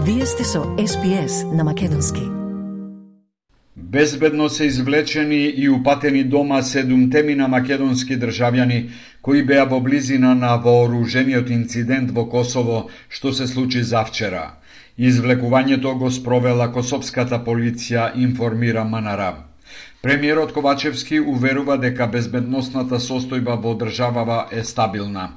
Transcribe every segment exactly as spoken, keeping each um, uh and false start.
Вие сте со Ес Би Ес на Македонски. Безбедно се извлечени и упатени дома седумтемина македонски државјани кои беа во близина на вооружениот инцидент во Косово што се случи завчера. Извлекувањето го спровела косовската полиција, информира МНР. Премиерот Ковачевски уверува дека безбедносната состојба во државава е стабилна.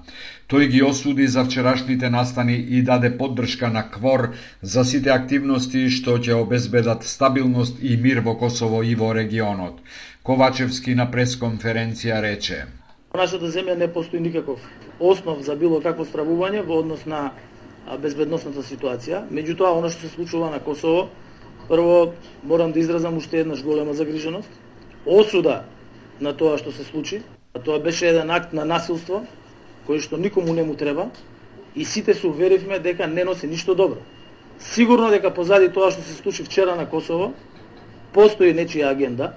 Тој ги осуди за вчерашните настани и даде поддршка на КВОР за сите активности што ќе обезбедат стабилност и мир во Косово и во регионот. Ковачевски на пресконференција рече: Во нашата земја не постои никаков основ за било какво стравување во однос на безбедносната ситуација. Меѓутоа, она што се случува на Косово, прво морам да изразам уште еднаш голема загриженост, осуда на тоа што се случи. Тоа беше еден акт на насилство кој што никому не му треба и сите се уверивме дека не носи ништо добро. Сигурно дека позади тоа што се случи вчера на Косово постои нечија агенда,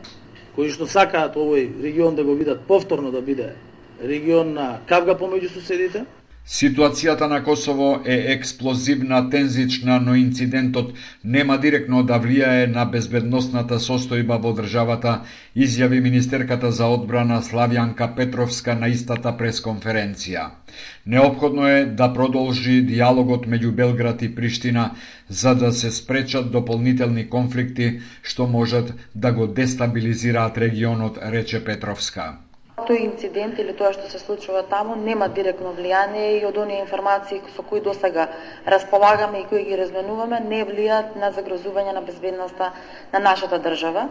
кои што сакаат овој регион да го видат повторно да биде регион на кавга помеѓу соседите. Ситуацијата на Косово е експлозивна, тензична, но инцидентот нема директно да влијае на безбедносната состојба во државата, изјави министерката за одбрана Славјанка Петровска на истата пресконференција. Неопходно е да продолжи диалогот меѓу Белград и Приштина за да се спречат дополнителни конфликти што можат да го дестабилизираат регионот, рече Петровска. Тој инцидент или тоа што се случува таму нема директно влијание и од оние информации со кои досега располагаме и кои ги разменуваме не влијаат на загрозување на безбедноста на нашата држава.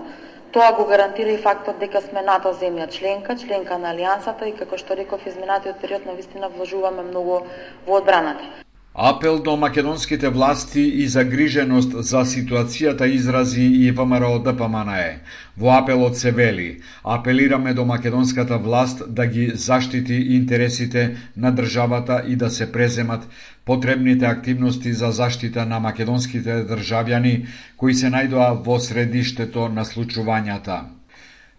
Тоа го гарантира и фактот дека сме НАТО земја членка, членка на Алијансата и како што реков изминатиот период навистина вложуваме многу во одбраната. Апел до македонските власти и загриженост за ситуацијата изрази и ВМРО Д П М Н Е. Во апелот се вели: апелираме до македонската власт да ги заштити интересите на државата и да се преземат потребните активности за заштита на македонските државјани кои се најдоа во средиштето на случувањата.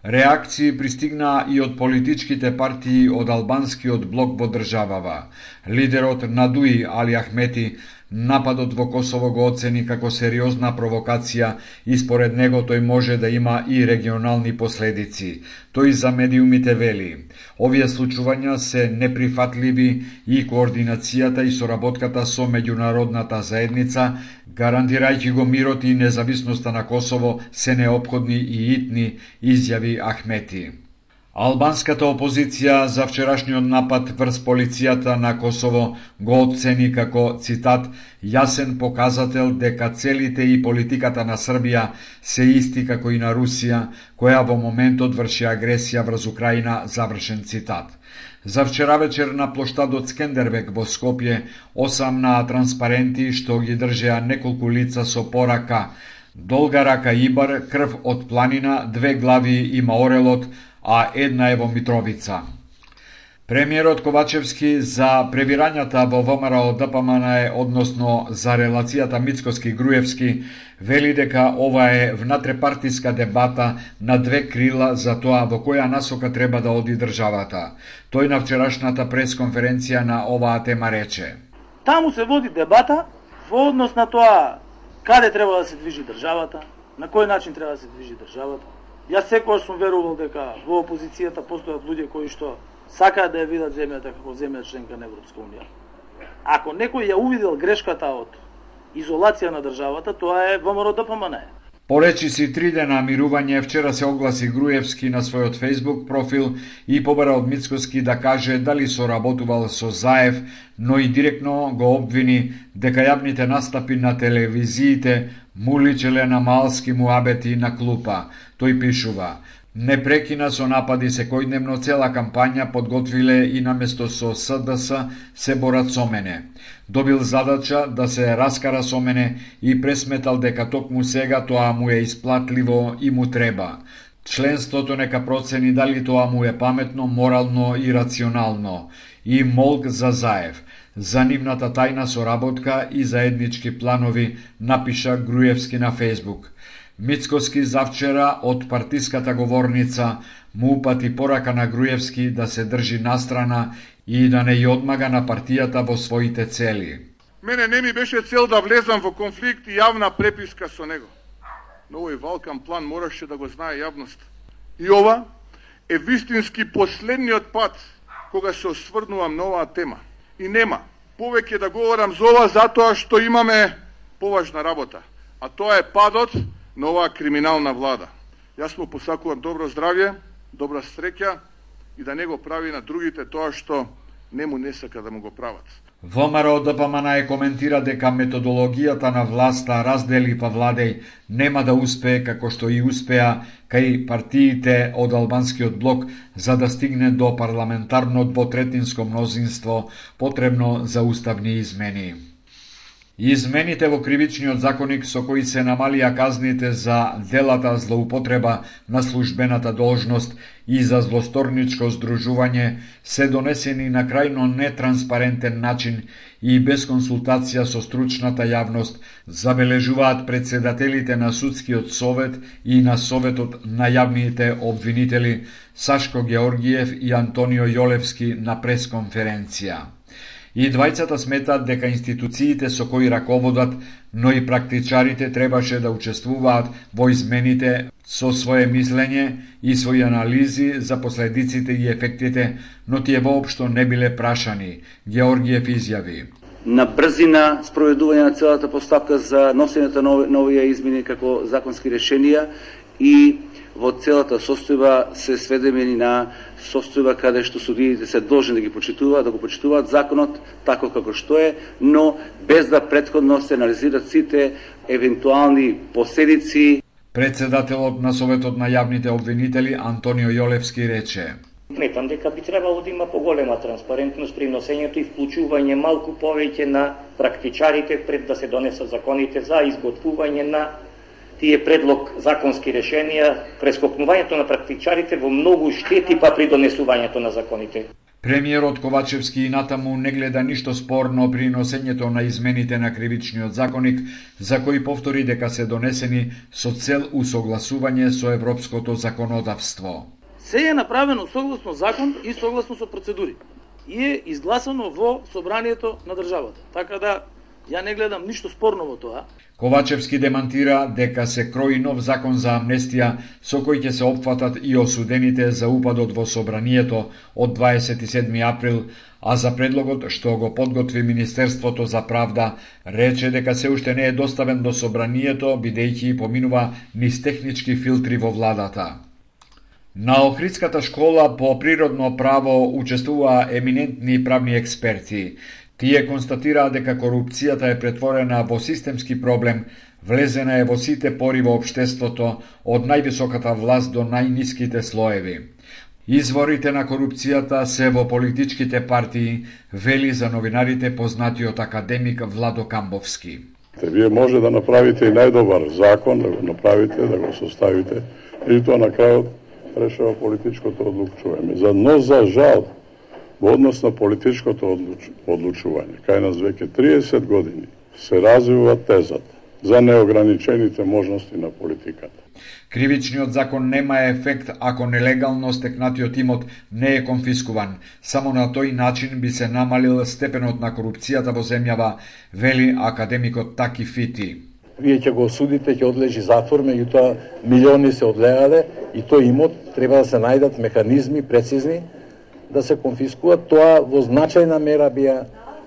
Реакции пристигнаа и од политичките партии од албанскиот блок во државава. Лидерот на Дуи, Али Ахмети, нападот во Косово го оцени како сериозна провокација и според него тој може да има и регионални последици. Тој за медиумите вели: овие случувања се неприфатливи и координацијата и соработката со меѓународната заедница, гарантирајќи го мирот и независноста на Косово, се неопходни и итни, изјави Ахмети. Албанската опозиција за вчерашниот напад врз полицијата на Косово го оцени како, цитат, јасен показател дека целите и политиката на Србија се исти како и на Русија, која во моментот врши агресија врз Украина, завршен цитат. За вчера вечер на плоштадот Скендербек во Скопје осамнаа транспаренти што ги држеа неколку лица со порака: долга рака Ибар, крв од планина, две глави има орелот, а една е во Митровица. Премиерот Ковачевски за пребирањата во ВМРО Д П М Н Е, односно за релацијата Мицкоски-Груевски, вели дека ова е внатрепартиска дебата на две крила за тоа во која насока треба да оди државата. Тој на вчерашната пресконференција на оваа тема рече: Таму се води дебата во однос на тоа каде треба да се движи државата, на кој начин треба да се движи државата. Јас секогаш сум верувал дека во опозицијата постојат луѓе кои што сакаат да ја видат земјата како земја членка на Европска унија. Ако некој ја увидел грешката од изолација на државата, тоа е ВМРО Д П М Н Е. По речиси три дена мирување, вчера се огласи Груевски на својот Facebook профил и побара од Мицкоски да каже дали соработувал со Заев, но и директно го обвини дека јавните настапи на телевизиите му личеле на малски муабети на клупа. Тој пишува: не прекина со напади секојдневно, цела кампања подготвиле и наместо со С Д С се борат со мене. Добил задача да се раскара со мене и пресметал дека токму сега тоа му е исплатливо и му треба. Членството нека процени дали тоа му е паметно, морално и рационално. И молк за Заев. За нивната тајна соработка и заеднички планови, напиша Груевски на Фейсбук. Мицкоски завчера од партиската говорница му упати порака на Груевски да се држи настрана и да не ја одмага на партијата во своите цели. Мене не ми беше цел да влезам во конфликт и јавна преписка со него. Но овој валкан план мораше да го знае јавност. И ова е вистински последниот пат кога се осврнувам на оваа тема. И нема повеќе да говорам за ова затоа што имаме поважна работа. А тоа е падот на оваа криминална влада. Јас му посакувам добро здравје, добра среќа и да не го прави на другите тоа што не му не сака да му го прават. ВМРО Д П М Н Е коментира дека методологијата на власта раздели па владеј нема да успее како што и успеа кај партиите од албанскиот блок за да стигне до парламентарно двотретинско мнозинство потребно за уставни измени. Измените во кривичниот законник со кои се намалија казните за делата злоупотреба на службената должност и за злосторничко здружување се донесени на крајно нетранспарентен начин и без консултација со стручната јавност, забележуваат председателите на Судскиот совет и на Советот на јавните обвинители Сашко Георгиев и Антонио Јолевски на пресконференција. И двајцата сметат дека институциите со кои раководат, но и практичарите требаше да учествуваат во измените со свое мислење и своји анализи за последиците и ефектите, но тие воопшто не биле прашани, Георгиев изјави. На брзина спроведување на целата постапка за носењето на овие измени како законски решенија и во целата состојба се сведемени на состојба каде што судиите се должни да ги почитуваат, да го почитуваат законот тако како што е, но без да претходно се анализираат сите евентуални последици. Председателот на Советот на јавните обвинители Антонио Јолевски рече: Сметам дека би требало да има поголема транспарентност при носењето и вклучување малку повеќе на практичарите пред да се донесат законите за изготвување на тие предлог законски решенија, прескокнувањето на практичарите во многу штети па при донесувањето на законите. Премиерот Ковачевски и натаму не гледа ништо спорно при носењето на измените на кривичниот законник, за кои повтори дека се донесени со цел усогласување со европското законодавство. Се е направено согласно закон и согласно со процедури. И е изгласано во собранието на државата. Така да ја не гледам ништо спорно во тоа. Ковачевски демантира дека се крои нов закон за амнестија со кој ќе се опфатат и осудените за упадот во собранието од дваесет и седми април, а за предлогот што го подготви Министерството за правда рече дека се уште не е доставен до собранието бидејќи поминува низ технички филтри во владата. На Охридската школа по природно право учествуваа еминентни правни експерти. Тие констатираа дека корупцијата е претворена во системски проблем, влезена е во сите пори во општеството, од највисоката власт до најниските слоеви. Изворите на корупцијата се во политичките партии, вели за новинарите познатиот академик Владо Камбовски. Вие може да направите и најдобар закон, да го направите, да го составите, и тоа на крајот решава политичкото одлучување. За но за жал, во однос на политичкото одлуч... одлучување, кај нас веќе триесет години се развива тезата за неограничените можности на политиката. Кривичниот закон нема ефект ако нелегално стекнатиот имот не е конфискуван. Само на тој начин би се намалил степенот на корупцијата во земјава, вели академикот Таки Фити. Вие ќе го осудите, ќе одлежи затвор, меѓутоа милиони се одлегале и тој имот треба да се најдат механизми прецизни да се конфискуваат. Тоа во значајна мера би,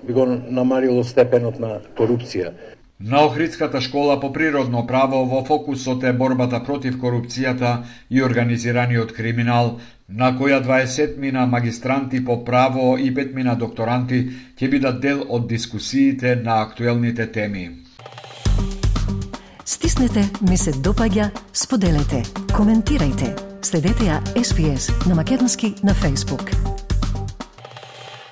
би го намалило степенот на корупција. На Охридската школа по природно право во фокусот е борбата против корупцијата и организираниот криминал, на која дваесетмина магистранти по право и петмина докторанти ќе бидат дел од дискусиите на актуелните теми. Стиснете, ми се допаѓа, споделете, коментирајте. Следете ја Ес Би Ес на македонски на Facebook.